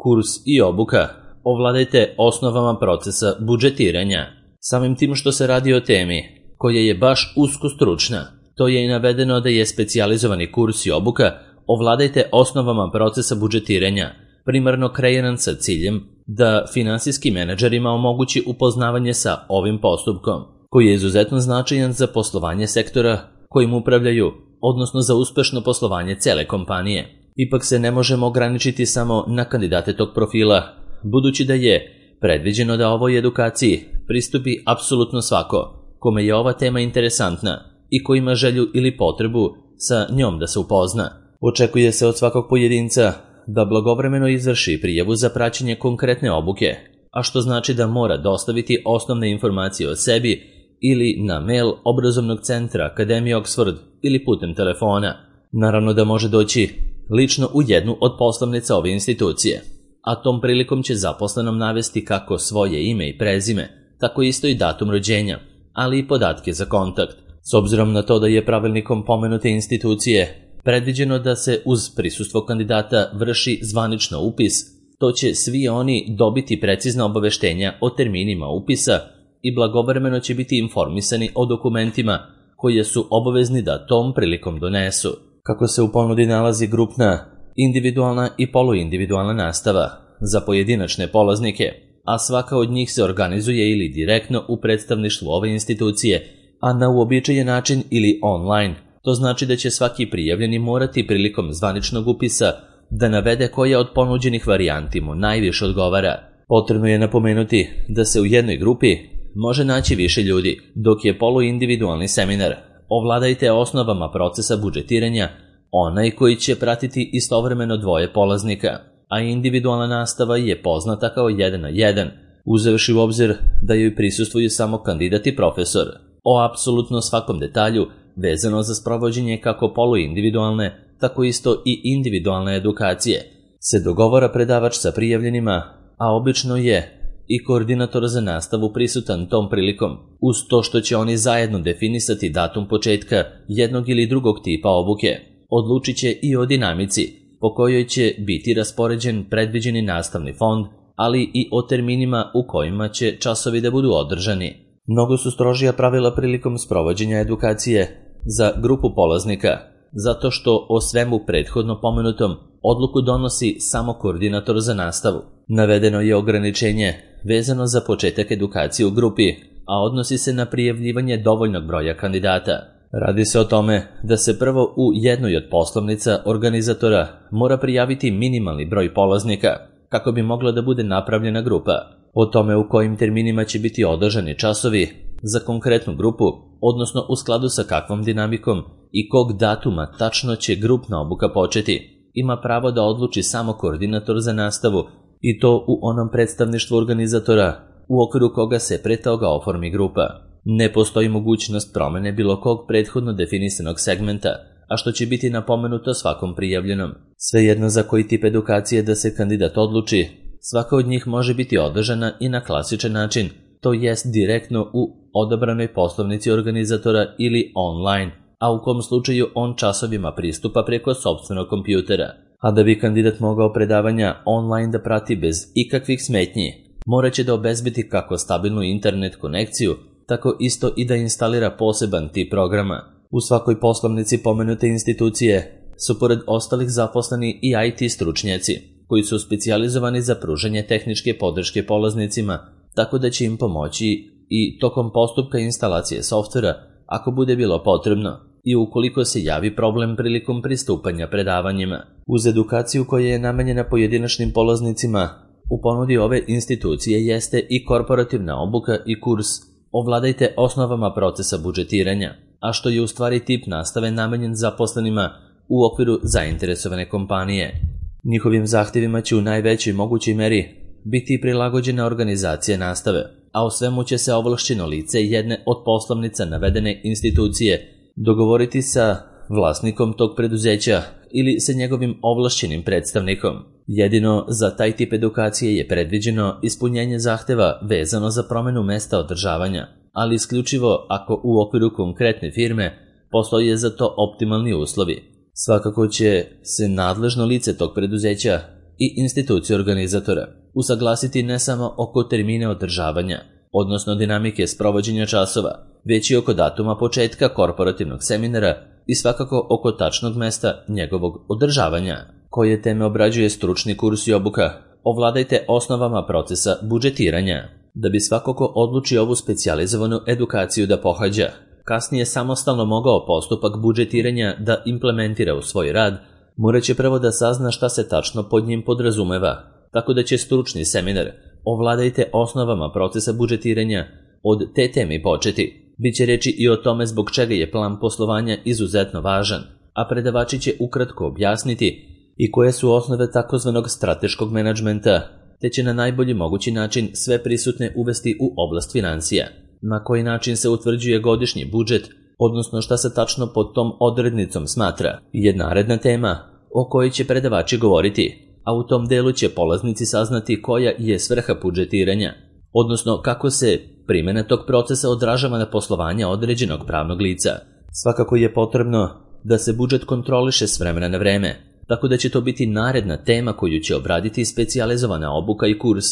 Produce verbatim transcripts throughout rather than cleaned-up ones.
Kurs i obuka. Ovladajte osnovama procesa budžetiranja. Samim tim što se radi o temi koja je baš usko stručna, to je i navedeno da je specijalizovani kurs i obuka Ovladajte osnovama procesa budžetiranja, primarno kreiran sa ciljem da finansijskim menadžerima omogući upoznavanje sa ovim postupkom, koji je izuzetno značajan za poslovanje sektora kojim upravljaju, odnosno za uspešno poslovanje cele kompanije. Ipak se ne možemo ograničiti samo na kandidate tog profila, budući da je predviđeno da ovoj edukaciji pristupi apsolutno svako kome je ova tema interesantna i ko ima želju ili potrebu sa njom da se upozna. Očekuje se od svakog pojedinca da blagovremeno izvrši prijavu za praćenje konkretne obuke, a što znači da mora dostaviti osnovne informacije o sebi ili na mail obrazovnog centra Akademije Oxford ili putem telefona. Naravno da može doći lično u jednu od poslovnica ove institucije, a tom prilikom će zaposlenom navesti kako svoje ime i prezime, tako isto i datum rođenja, ali i podatke za kontakt. S obzirom na to da je pravilnikom pomenute institucije predviđeno da se uz prisustvo kandidata vrši zvanično upis, to će svi oni dobiti precizna obaveštenja o terminima upisa i blagovremeno će biti informisani o dokumentima koje su obavezni da tom prilikom donesu. Kako se u ponudi nalazi grupna, individualna i poluindividualna nastava za pojedinačne polaznike, a svaka od njih se organizuje ili direktno u predstavništvu ove institucije, a na uobičajen način ili online. To znači da će svaki prijavljeni morati prilikom zvaničnog upisa da navede koja od ponuđenih varijanti mu najviše odgovara. Potrebno je napomenuti da se u jednoj grupi može naći više ljudi, dok je poluindividualni seminar Ovladajte osnovama procesa budžetiranja onaj koji će pratiti istovremeno dvoje polaznika, a individualna nastava je poznata kao jedan na jedan, uzevši u obzir da joj prisustvuju samo kandidat i profesor. O apsolutno svakom detalju vezano za sprovođenje kako poluindividualne, tako isto i individualne edukacije se dogovara predavač sa prijavljenima, a obično je i koordinator za nastavu prisutan tom prilikom, uz to što će oni zajedno definisati datum početka jednog ili drugog tipa obuke. Odlučit će i o dinamici po kojoj će biti raspoređen predviđeni nastavni fond, ali i o terminima u kojima će časovi da budu održani. Mnogo su strožija pravila prilikom sprovođenja edukacije za grupu polaznika, zato što o svemu prethodno pomenutom odluku donosi samo koordinator za nastavu. Navedeno je ograničenje vezano za početak edukacije u grupi, a odnosi se na prijavljivanje dovoljnog broja kandidata. Radi se o tome da se prvo u jednoj od poslovnica organizatora mora prijaviti minimalni broj polaznika kako bi mogla da bude napravljena grupa. O tome u kojim terminima će biti održani časovi za konkretnu grupu, odnosno u skladu sa kakvom dinamikom i kog datuma tačno će grupna obuka početi, ima pravo da odluči samo koordinator za nastavu, i to u onom predstavništvu organizatora u okviru koga se pre toga oformi grupa. Ne postoji mogućnost promene bilo kog prethodno definisanog segmenta, a što će biti napomenuto svakom prijavljenom. Svejedno za koji tip edukacije da se kandidat odluči, svaka od njih može biti održana i na klasičan način, to jest direktno u odabranoj poslovnici organizatora ili online, a u kom slučaju on časovima pristupa preko sopstvenog kompjutera. A da bi kandidat mogao predavanja online da prati bez ikakvih smetnji, morat će da obezbedi kako stabilnu internet konekciju, tako isto i da instalira poseban tip programa. U svakoj poslovnici pomenute institucije su pored ostalih zaposleni i I T stručnjaci, koji su specijalizovani za pružanje tehničke podrške polaznicima, tako da će im pomoći i tokom postupka instalacije softvera ako bude bilo potrebno i ukoliko se javi problem prilikom pristupanja predavanjima. Uz edukaciju koja je namenjena pojedinačnim polaznicima, u ponudi ove institucije jeste i korporativna obuka i kurs Ovladajte osnovama procesa budžetiranja, a što je u stvari tip nastave namenjen zaposlenima u okviru zainteresovane kompanije. Njihovim zahtjevima će u najvećoj mogućoj meri biti prilagođena organizacija nastave, a o svemu će se ovlašćeno lice jedne od poslovnica navedene institucije dogovoriti sa vlasnikom tog preduzeća ili sa njegovim ovlašćenim predstavnikom. Jedino za taj tip edukacije je predviđeno ispunjenje zahteva vezano za promenu mesta održavanja, ali isključivo ako u okviru konkretne firme postoje za to optimalni uslovi. Svakako će se nadležno lice tog preduzeća i institucije organizatora, usaglasiti ne samo oko termine održavanja, odnosno dinamike sprovođenja časova, već i oko datuma početka korporativnog seminara i svakako oko tačnog mesta njegovog održavanja. Koje teme obrađuje stručni kurs i obuka? Ovladajte osnovama procesa budžetiranja. Da bi svako ko odluči ovu specijalizovanu edukaciju da pohađa, kasnije samostalno mogao postupak budžetiranja da implementira u svoj rad, morat će prvo da sazna šta se tačno pod njim podrazumeva, tako da će stručni seminar Ovladajte osnovama procesa budžetiranja od te temi početi. Biće reči i o tome zbog čega je plan poslovanja izuzetno važan, a predavači će ukratko objasniti i koje su osnove takozvanog strateškog menadžmenta, te će na najbolji mogući način sve prisutne uvesti u oblast financija. Na koji način se utvrđuje godišnji budžet, odnosno šta se tačno pod tom odrednicom smatra, je naredna tema o kojoj će predavači govoriti, a u tom delu će polaznici saznati koja je svrha budžetiranja, odnosno kako se primjena tog procesa odražava na poslovanje određenog pravnog lica. Svakako je potrebno da se budžet kontroliše s vremena na vreme, tako da će to biti naredna tema koju će obraditi specijalizovana obuka i kurs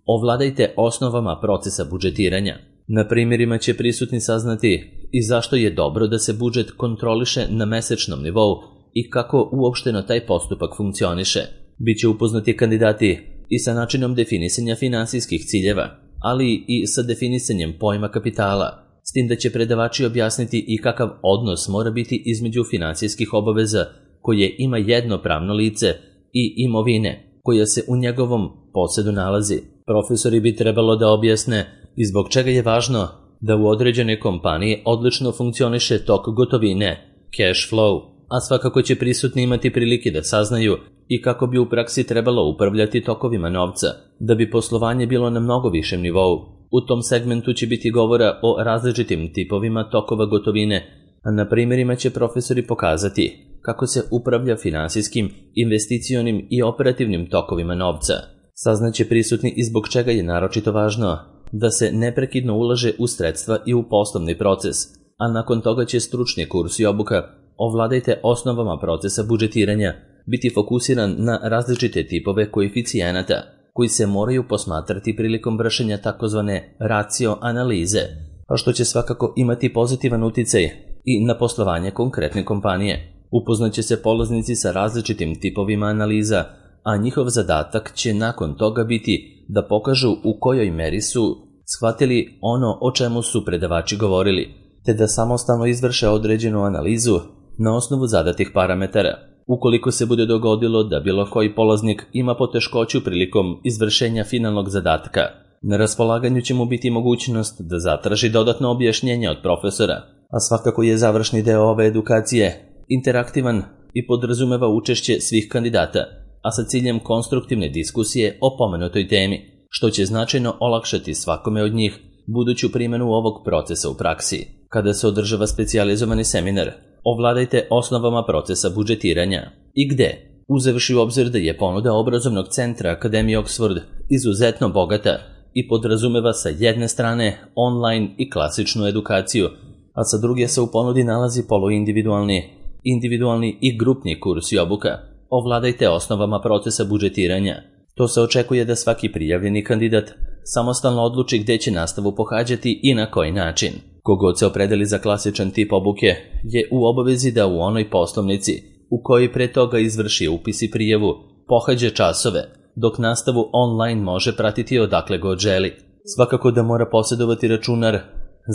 Ovladajte osnovama procesa budžetiranja. Na primjerima će prisutni saznati i zašto je dobro da se budžet kontroliše na mesečnom nivou i kako uopšteno taj postupak funkcioniše. Biće upoznati kandidati i sa načinom definisanja finansijskih ciljeva, ali i sa definisanjem pojma kapitala, s tim da će predavači objasniti i kakav odnos mora biti između finansijskih obaveza koje ima jedno pravno lice i imovine koja se u njegovom posedu nalazi. Profesori bi trebalo da objasne i zbog čega je važno da u određenoj kompaniji odlično funkcioniše tok gotovine, cash flow, a svakako će prisutni imati prilike da saznaju i kako bi u praksi trebalo upravljati tokovima novca, da bi poslovanje bilo na mnogo višem nivou. U tom segmentu će biti govora o različitim tipovima tokova gotovine, a na primjerima će profesori pokazati kako se upravlja finansijskim, investicionim i operativnim tokovima novca. Saznaće prisutni i zbog čega je naročito važno da se neprekidno ulaže u sredstva i u poslovni proces, a nakon toga će stručni kurs i obuka Ovladajte osnovama procesa budžetiranja biti fokusiran na različite tipove koeficijenata koji se moraju posmatrati prilikom vršenja takozvane racio analize, a što će svakako imati pozitivan uticaj i na poslovanje konkretne kompanije. Upoznaće se polaznici sa različitim tipovima analiza, a njihov zadatak će nakon toga biti da pokažu u kojoj meri su shvatili ono o čemu su predavači govorili, te da samostalno izvrše određenu analizu na osnovu zadatih parametara. Ukoliko se bude dogodilo da bilo koji polaznik ima poteškoću prilikom izvršenja finalnog zadatka, na raspolaganju će mu biti mogućnost da zatraži dodatno objašnjenje od profesora, a svakako je završni deo ove edukacije interaktivan i podrazumeva učešće svih kandidata, a sa ciljem konstruktivne diskusije o pomenutoj temi, što će značajno olakšati svakome od njih buduću primjenu ovog procesa u praksi. Kada se održava specijalizovani seminar Ovladajte osnovama procesa budžetiranja i gde, uzevši u obzir da je ponuda obrazovnog centra Akademije Oxford izuzetno bogata i podrazumeva sa jedne strane online i klasičnu edukaciju, a sa druge se u ponudi nalazi poluindividualni, individualni i grupni kurs i obuka Ovladajte osnovama procesa budžetiranja. To se očekuje da svaki prijavljeni kandidat samostalno odluči gde će nastavu pohađati i na koji način. Kogod se opredeli za klasičan tip obuke je u obavezi da u onoj poslovnici u kojoj pre toga izvrši upis i prijavu pohađa časove, dok nastavu online može pratiti odakle god želi. Svakako da mora posjedovati računar,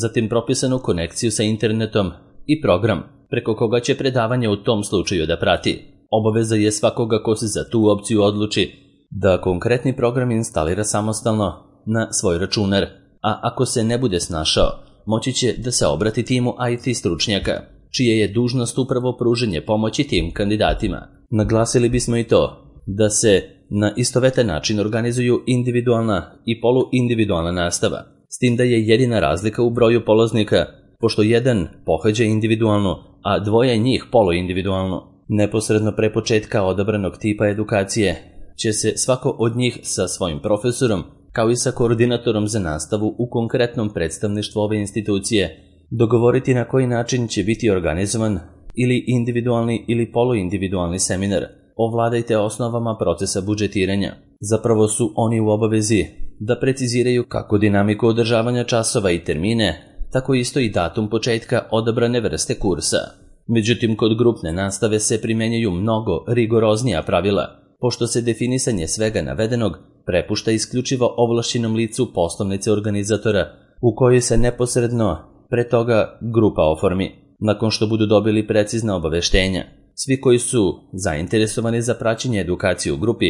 zatim propisanu konekciju sa internetom i program preko koga će predavanje u tom slučaju da prati. Obaveza je svakoga ko se za tu opciju odluči da konkretni program instalira samostalno na svoj računar, a ako se ne bude snašao, moći će da se obrati timu I T stručnjaka, čije je dužnost upravo pruženje pomoći tim kandidatima. Naglasili bismo i to da se na istovetan način organizuju individualna i poluindividualna nastava, s tim da je jedina razlika u broju polaznika, pošto jedan pohađa individualno, a dvoje njih poluindividualno. Neposredno pre početka odabranog tipa edukacije će se svako od njih sa svojim profesorom, kao i sa koordinatorom za nastavu u konkretnom predstavništvu ove institucije, dogovoriti na koji način će biti organizovan ili individualni ili poluindividualni seminar, ovladajte osnovama procesa budžetiranja. Zapravo su oni u obavezi da preciziraju kako dinamiku održavanja časova i termine, tako isto i datum početka odabrane vrste kursa. Međutim, kod grupne nastave se primjenjuju mnogo rigoroznija pravila, pošto se definisanje svega navedenog prepušta isključivo ovlašćenom licu poslovnice organizatora, u kojoj se neposredno pre toga grupa oformi. Nakon što budu dobili precizna obaveštenja, svi koji su zainteresovani za praćenje edukacije u grupi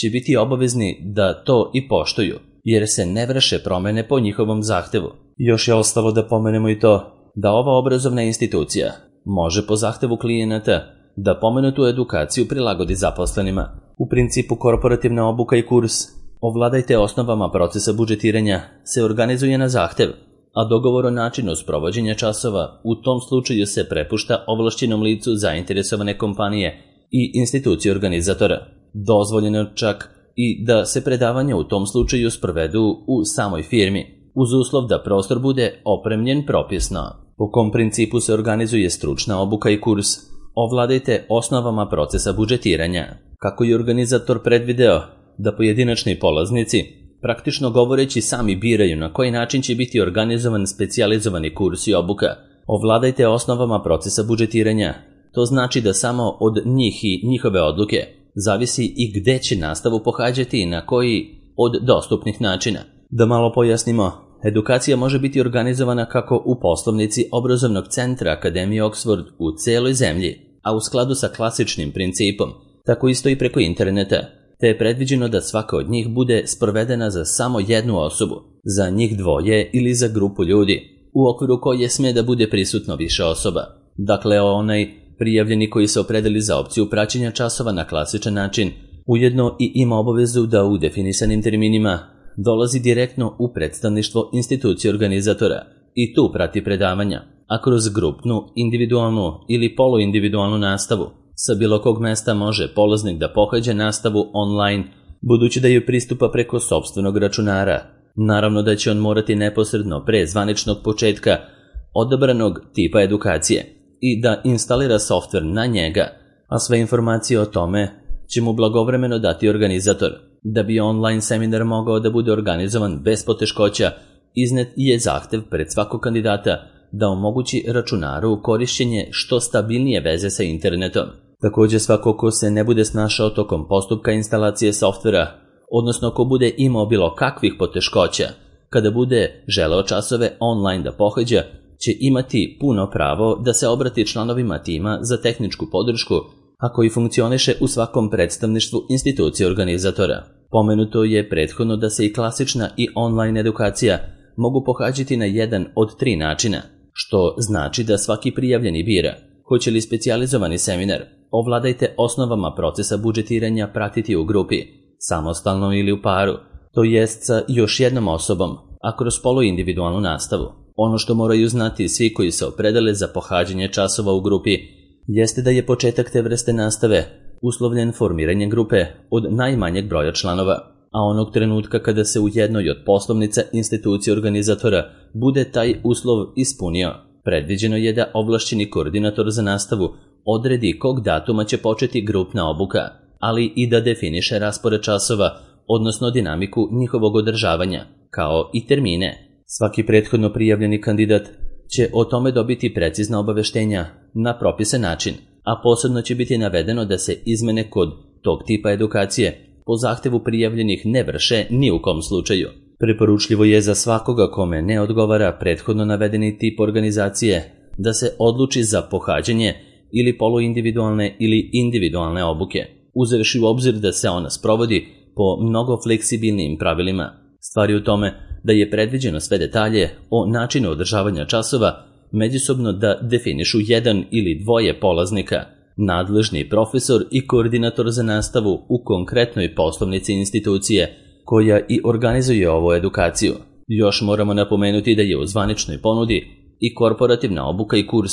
će biti obavezni da to i poštuju, jer se ne vrše promene po njihovom zahtevu. Još je ostalo da pomenemo i to da ova obrazovna institucija može po zahtevu klijenata da pomenutu edukaciju prilagodi zaposlenima. U principu korporativna obuka i kurs ovladajte osnovama procesa budžetiranja se organizuje na zahtev, a dogovor o načinu sprovođenja časova u tom slučaju se prepušta ovlašćenom licu zainteresovane kompanije i institucije organizatora. Dozvoljeno čak i da se predavanja u tom slučaju sprovedu u samoj firmi, uz uslov da prostor bude opremljen propisno. Po kom principu se organizuje stručna obuka i kurs, ovladajte osnovama procesa budžetiranja. Kako je organizator predvideo da pojedinačni polaznici, praktično govoreći, sami biraju na koji način će biti organizovan specijalizovani kurs i obuka, ovladajte osnovama procesa budžetiranja. To znači da samo od njih i njihove odluke zavisi i gde će nastavu pohađati i na koji od dostupnih načina. Da malo pojasnimo, edukacija može biti organizovana kako u poslovnici obrazovnog centra Akademije Oxford u celoj zemlji, a u skladu sa klasičnim principom, tako isto i preko interneta, te je predviđeno da svaka od njih bude sprovedena za samo jednu osobu, za njih dvoje ili za grupu ljudi, u okviru koje sme da bude prisutno više osoba. Dakle, onaj prijavljeni koji se opredeli za opciju praćenja časova na klasičan način, ujedno i ima obavezu da u definisanim terminima dolazi direktno u predstavništvo institucije organizatora i tu prati predavanja, a kroz grupnu, individualnu ili poluindividualnu nastavu sa bilo kog mesta može polaznik da pohađa nastavu online, budući da joj pristupa preko sopstvenog računara. Naravno da će on morati neposredno pre zvaničnog početka odabranog tipa edukacije i da instalira softver na njega, a sve informacije o tome će mu blagovremeno dati organizator. Da bi online seminar mogao da bude organizovan bez poteškoća, iznet je zahtev pred svakog kandidata da omogući računaru korišćenje što stabilnije veze sa internetom. Također, svako ko se ne bude snašao tokom postupka instalacije softvera, odnosno ko bude imao bilo kakvih poteškoća, kada bude želeo časove online da pohađa, će imati puno pravo da se obrati članovima tima za tehničku podršku, a koji funkcioniše u svakom predstavništvu institucije organizatora. Pomenuto je prethodno da se i klasična i online edukacija mogu pohađati na jedan od tri načina, što znači da svaki prijavljeni bira hoće li specijalizovani seminar ovladajte osnovama procesa budžetiranja pratiti u grupi, samostalno ili u paru, to jest sa još jednom osobom, a kroz poluindividualnu nastavu. Ono što moraju znati svi koji se opredele za pohađanje časova u grupi jeste da je početak te vrste nastave uslovljen formiranjem grupe od najmanjeg broja članova, a onog trenutka kada se u jednoj od poslovnica institucije organizatora bude taj uslov ispunio, predviđeno je da ovlašćeni koordinator za nastavu odredi kog datuma će početi grupna obuka, ali i da definiše raspored časova, odnosno dinamiku njihovog održavanja, kao i termine. Svaki prethodno prijavljeni kandidat će o tome dobiti precizna obaveštenja na propisan način, a posebno će biti navedeno da se izmene kod tog tipa edukacije po zahtevu prijavljenih ne vrše ni u kom slučaju. Preporučljivo je za svakoga kome ne odgovara prethodno navedeni tip organizacije da se odluči za pohađanje ili poluindividualne ili individualne obuke, uzevši u obzir da se ona sprovodi po mnogo fleksibilnijim pravilima. Stvar je u tome da je predviđeno sve detalje o načinu održavanja časova međusobno da definišu jedan ili dvoje polaznika, nadležni profesor i koordinator za nastavu u konkretnoj poslovnici institucije koja i organizuje ovu edukaciju. Još moramo napomenuti da je u zvaničnoj ponudi i korporativna obuka i kurs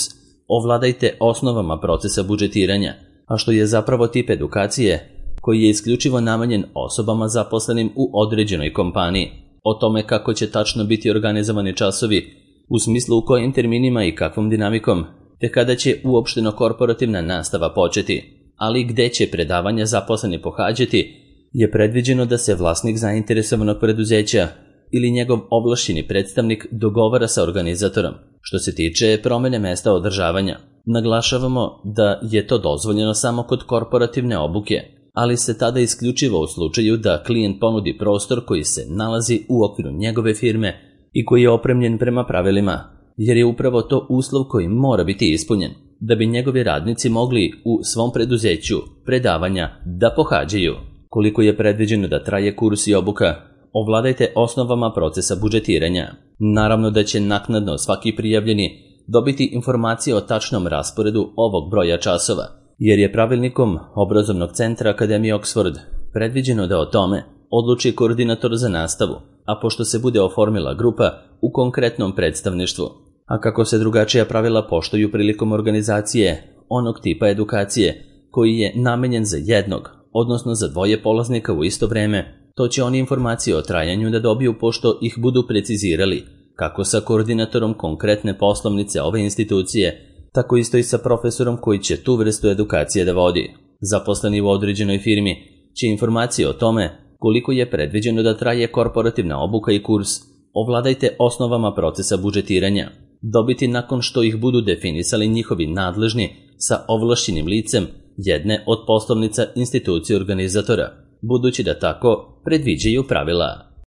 ovladajte osnovama procesa budžetiranja, a što je zapravo tip edukacije koji je isključivo namenjen osobama zaposlenim u određenoj kompaniji. O tome kako će tačno biti organizovani časovi, u smislu u kojim terminima i kakvom dinamikom, te kada će uopšteno korporativna nastava početi, ali gde će predavanja zaposleni pohađati, je predviđeno da se vlasnik zainteresovanog preduzeća ili njegov ovlašćeni predstavnik dogovara sa organizatorom. Što se tiče promene mesta održavanja, naglašavamo da je to dozvoljeno samo kod korporativne obuke, ali se tada isključivo u slučaju da klijent ponudi prostor koji se nalazi u okviru njegove firme i koji je opremljen prema pravilima, jer je upravo to uslov koji mora biti ispunjen, da bi njegovi radnici mogli u svom preduzeću predavanja da pohađaju. Koliko je predviđeno da traje kurs i obuka, ovladajte osnovama procesa budžetiranja. Naravno da će naknadno svaki prijavljeni dobiti informacije o tačnom rasporedu ovog broja časova, jer je pravilnikom Obrazovnog centra Akademije Oxford predviđeno da o tome odluči koordinator za nastavu, a pošto se bude oformila grupa u konkretnom predstavništvu, a kako se drugačija pravila poštuju prilikom organizacije onog tipa edukacije koji je namenjen za jednog, odnosno za dvoje polaznika u isto vreme, to će oni informacije o trajanju da dobiju pošto ih budu precizirali, kako sa koordinatorom konkretne poslovnice ove institucije, tako isto i sa profesorom koji će tu vrstu edukacije da vodi. Zaposleni u određenoj firmi će informacije o tome koliko je predviđeno da traje korporativna obuka i kurs ovladajte osnovama procesa budžetiranja dobiti nakon što ih budu definisali njihovi nadležni sa ovlašćenim licem jedne od poslovnica institucije organizatora, budući da tako predviđaju pravila.